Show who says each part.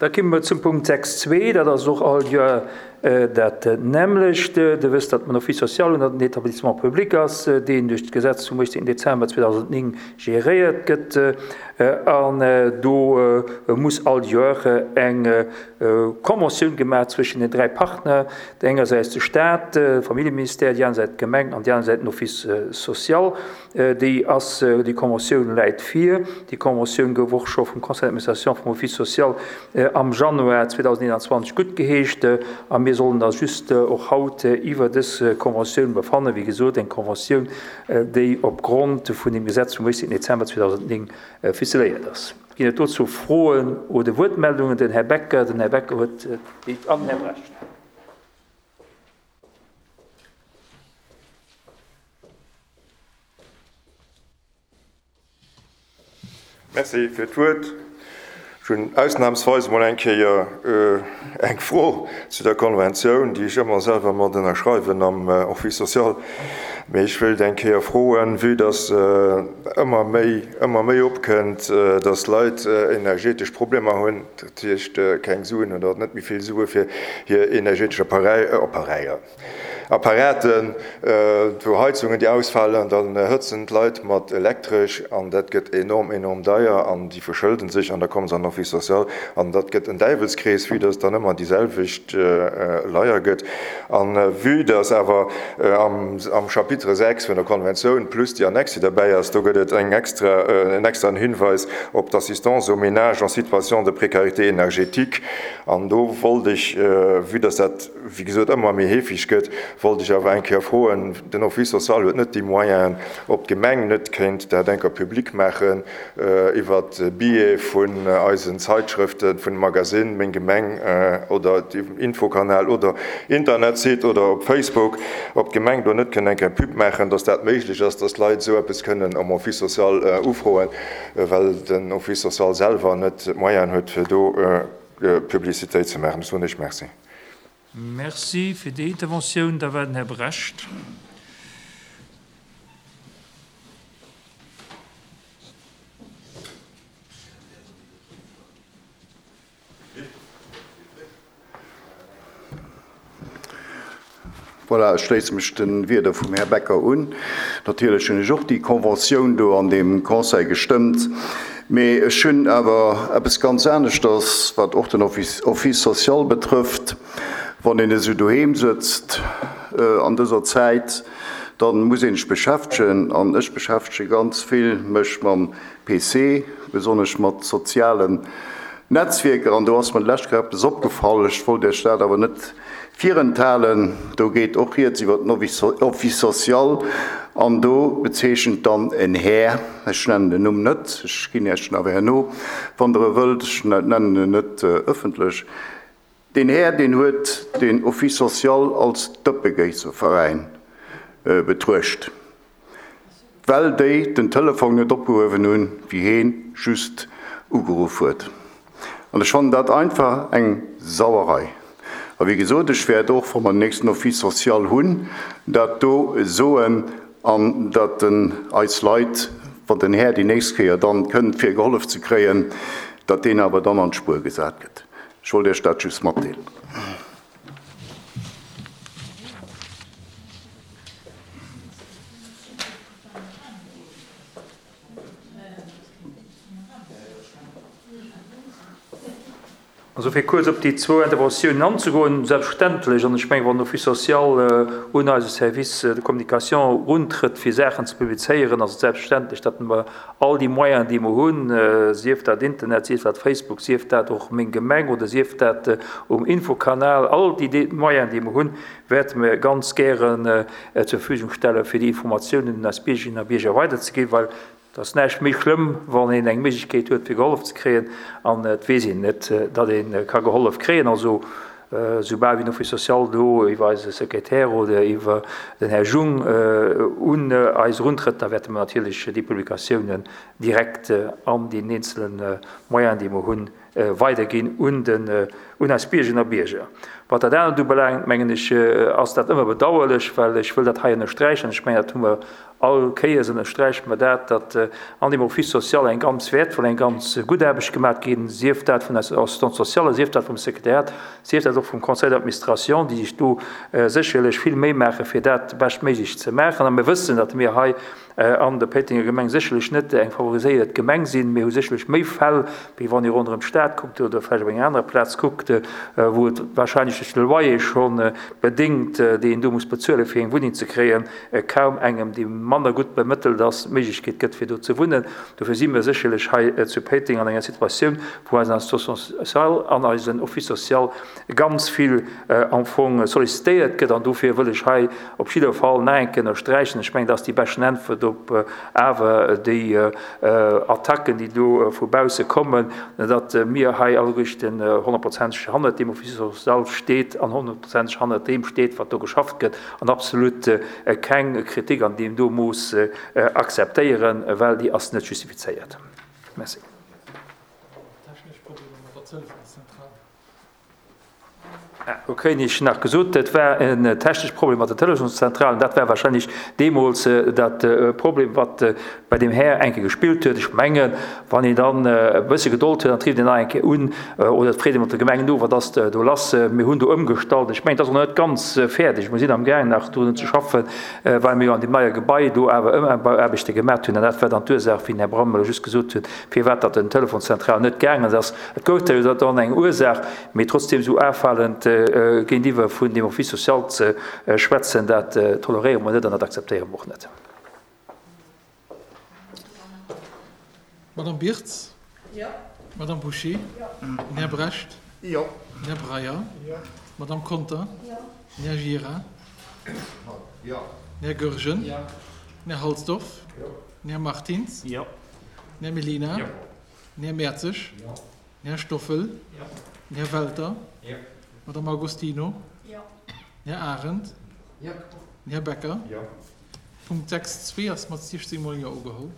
Speaker 1: Da komme mer zum Punkt 6.2, dat ass och all Joer dat nämmlecht. Der wësst, datt den Office social ënner den Établissement public ass, deen duerch d'Gesetz vum 18 Dezember 2009 geréiert gëtt. An do muss all Joer eng Conventioun gemaach zwëschen den 3 Partner, engersäits de Staat, de Familljeministère, déi aner Säit d'Gemeng an déi aner Säit den Office social. Déi ass, déi Conventioun läit vir. Déi Conventioun gouf och scho vum Conseil d'administration vum Office social am Januar 2021 guttgeheescht a mir sollen da just och haut iwwer dës Conventioun befannen. Wéi gesot, eng Conventioun, déi opgrond vun dem Gesetz vum 18 Dezember 2009 ficeléiert ass. Ginn et dozou Froen oder Wuertmeldungen? Den Här Becker, den Här Becker huet d'Wuert an den Här Brecht.
Speaker 2: Merci fir d'Wuert. Ech hunn ausnahmsweis emol eng Kéier eng Fro zu der Konventioun, déi ech ëmmer selwer mat ënnerschreiwen am Office social. Mee ech wéilt eng Kéier froen, vue dass ëmmer méi, ëmmer méi opkënnt, dass Leit energetesch Problemer hunn, dat heescht keng Suen oder net méi vill Sue fir hir energetesch Apparäier, Apparaten, wou Heizungen déi ausfalen, dann hëtzen d'Leit mat Elektresch an dat gëtt enorm, enorm deier an déi verschëlden sech an da komme se an den Office social an dat gëtt en Däiwelskrees, vue dass et dann ëmmer déi selwecht Leier gëtt. An vue dass awer am Chapitre 6 vun der Konventioun plus déi Annexe déi derbäi ass, do gëtt et eng extra, en extraen Hinweis op d'Assistance aux ménages en situation de précarité énergétique an do wollt ech, vue dass dat, wéi gesot ëmmer méi heefeg gëtt, wollt ech awer eng Kéier froen, den Office social huet net déi Moyenen, ob d'Gemeng net kéint dat eng Kéier public maachen iwwer Biais vun eisen Zeitschrëften, vun dem Magasinn Meng Gemeng oder dem Infokanal oder Internetsite oder op Facebook, ob d'Gemeng do net kënnt eng Kéier Pub maachen, dass dat méiglech ass, dass d'Leit esou eppes kënnen am Office social ufroen, well den Office social selwer net d'Moyenen huet, fir do Publicitéit ze maachen. Ech soen Iech Merci.
Speaker 1: Merci fir déi Interventioun. Da war den Här Brecht.
Speaker 3: Voilà, ech schléisse mech de Wierder vum Här Becker un. Natierlech hunn ech och déi Conventioun do an deem Conseil gestëmmt. Mee ech hunn awer eppes ganz aneschters, wat och den Office social betrëfft. Wann een esou doheem sëtzt an dëser Zäit, da muss een sech beschäftegen. An ech beschäftege ganz vill mech mam PC, besonnesch mat sozialen Netzwierker. An do ass mer d'lescht Kéier eppes opgefall, ech wollt Iech dat awer net virenthalen. Do geet och rieds iwwer den Office social an do bezeechent dann en Här, ech nennen den Numm net, ech ginn Iech en awer herno, wann Der e wëllt, ech nennen en net ëffentlech, deen Här, deen huet den Office social als Dëppegéisserveräin betruecht. Well déi den Telefong net opgehuewen hunn, wéi heen just ugeruff huet. An ech fannen dat einfach eng Sauerei. A wéi gesot, ech wäert och, wa mer den nächsten Office social hunn, dat do soen an datt den eis Leit, wann den Här déi nächst Kéier dann kënnt fir gehollef ze kréien, datt deen awer dann an d'Spuer gesat gëtt. Ech wollt Iech dat just matdeelen.
Speaker 1: Also fir kuerz op déi zwou Interventiounen anzegoen, Selbstverständlech, an ech mengen, wann den Office social un eise Service de communication eruntrëtt, fir Saachen ze publizéieren, ass et selbstverständlech, datt mer all déi Moyenen, déi mer hunn, sief dat Internet, sief dat Facebook, sief dat och Meng Gemeng oder sief dat um Infokanal, all déi Moyenen, déi mer hunn, wäerte mir ganz gären zur Verfügung stellen, fir déi Informatiounen un eis Biergerinnen a Bierger weiderzeginn, well et ass näischt méi schlëmm, wann een eng Méiglechkeet huet, fir gehollef ze kréien, an et weess een net, datt ee ka gehollef kréien. Also, soubal wéi den Office social do iwwer eise Sekretär oder iwwer den Här Jung un eis eruntrëtt, da wäerte mer natierlech déi Publikatiounen direkt an deenen eenzele Moyenen, déi mer hunn, weiderginn un den, un eis Biergerinnen a Bierger. Wat dat anert ubelaangt, mengen ech, ass dat ëmmer bedauerlech, well ech wëll dat hei ënnersträichen, ech mengen, dat hu mer all Kéiers ënnersträiche mer dat, datt an deem Office social eng ganz wäertvoll, eng ganz gutt Aarbecht gemaach ginn, sief dat vun eiser Assistante sociale, sief dat vum Sekretariat, sief dat och vum Conseil d'administration, déi sech do sécherlech vill Méi maachen, fir dat beschtméiglech ze maachen. A mir wëssen, datt mir hei an der Péitenger Gemeng sécherlech net eng favoriséiert Gemeng sinn. Mir hu sécherlech méi Fäll, wéi wann ee ronderëm d'Stad kuckt oder vläicht op enger anerer Plaz kuckt, wou et wahrscheinlech duerch de Loyer scho bedéngt, deen een do muss bezuelen, fir eng Wunneng ze kréien, kaum engem, dee manner gutt bemëttelt ass, d'Méiglechkeet gëtt, fir do ze wunnen. Dofir si mir sécherlech hei zu Péiteng an enger Situatioun, wou eisen Assistant social an eisen Office social ganz vill am Fong sollicitéiert gëtt. An dofir wëll ech hei op jidder Fall nach eng Kéier ënnersträichen, ech mengen, dat ass déi beschten Äntwert op awer déi Attacken, déi do vu bausse kommen, datt mir hei alleguerten honnertprozenteg hannert deem Office social steet an honnertprozenteg hannert deem steet, wat do geschafft gëtt, an absolut keng Kritik an deem do Mooss akzeptéieren, well déi ass net justifizéiert. Merci. Do kréien ech nach gesot, et war en technesche Problem mat der Telefonszentrale. Dat war wahrscheinlech deemools dat Problem, wat bei deem Här eng Kéier gespillt huet. Ech mengen, wann een dann e bësse Gedold huet, dann treeft een nach eng Kéier un oder et freet ee mat der Gemeng no, wat ass do lass. Mir hunn do ëmgestallt. Ech mengen, et ass och nach net ganz fäerdeg. Mir sinn amgaangen nach drun ze schaffen, well mir jo an deem neie Gebai do awer Ëmbauaarbechte gemaat hunn. An dat war dann d'Ursaach, wéi den Här Brandmüller just gesot huet, firwat datt den Telefonszentral net gaangen ass. Et gouf da jo dann eng Ursaach, mee trotzdem esou afalend géintiwwer vun dem Office social ze schwätzen, dat toleréiere mer net an dat akzeptéiere mer och net.
Speaker 4: Madame Birtz? Jo. Madame Bouché? Jo. Den Här Brecht?
Speaker 3: Jo.
Speaker 4: Den Här Breyer?
Speaker 3: Jo.
Speaker 4: D'Madame Conter?
Speaker 5: Jo.
Speaker 4: Den Här Gira?
Speaker 3: Jo.
Speaker 4: Den Här Goergen?
Speaker 1: Jo.
Speaker 4: Den Här Halsdorf?
Speaker 3: Jo.
Speaker 4: Den Här Martins?
Speaker 1: Jo.
Speaker 4: Den Här Mellina?
Speaker 1: Jo.
Speaker 4: Den Här Mertzig?
Speaker 1: Jo.
Speaker 4: Den Här Stoffel?
Speaker 1: Jo.
Speaker 4: Den Här Welter?
Speaker 1: Jo.
Speaker 4: D'Madame Agostino?
Speaker 5: Jo.
Speaker 4: Den Här Arendt?
Speaker 1: Jo.
Speaker 4: Den Här Becker?
Speaker 2: Jo.
Speaker 4: Punkt 6, 2 ass mat 16 mol Jo ugeholl.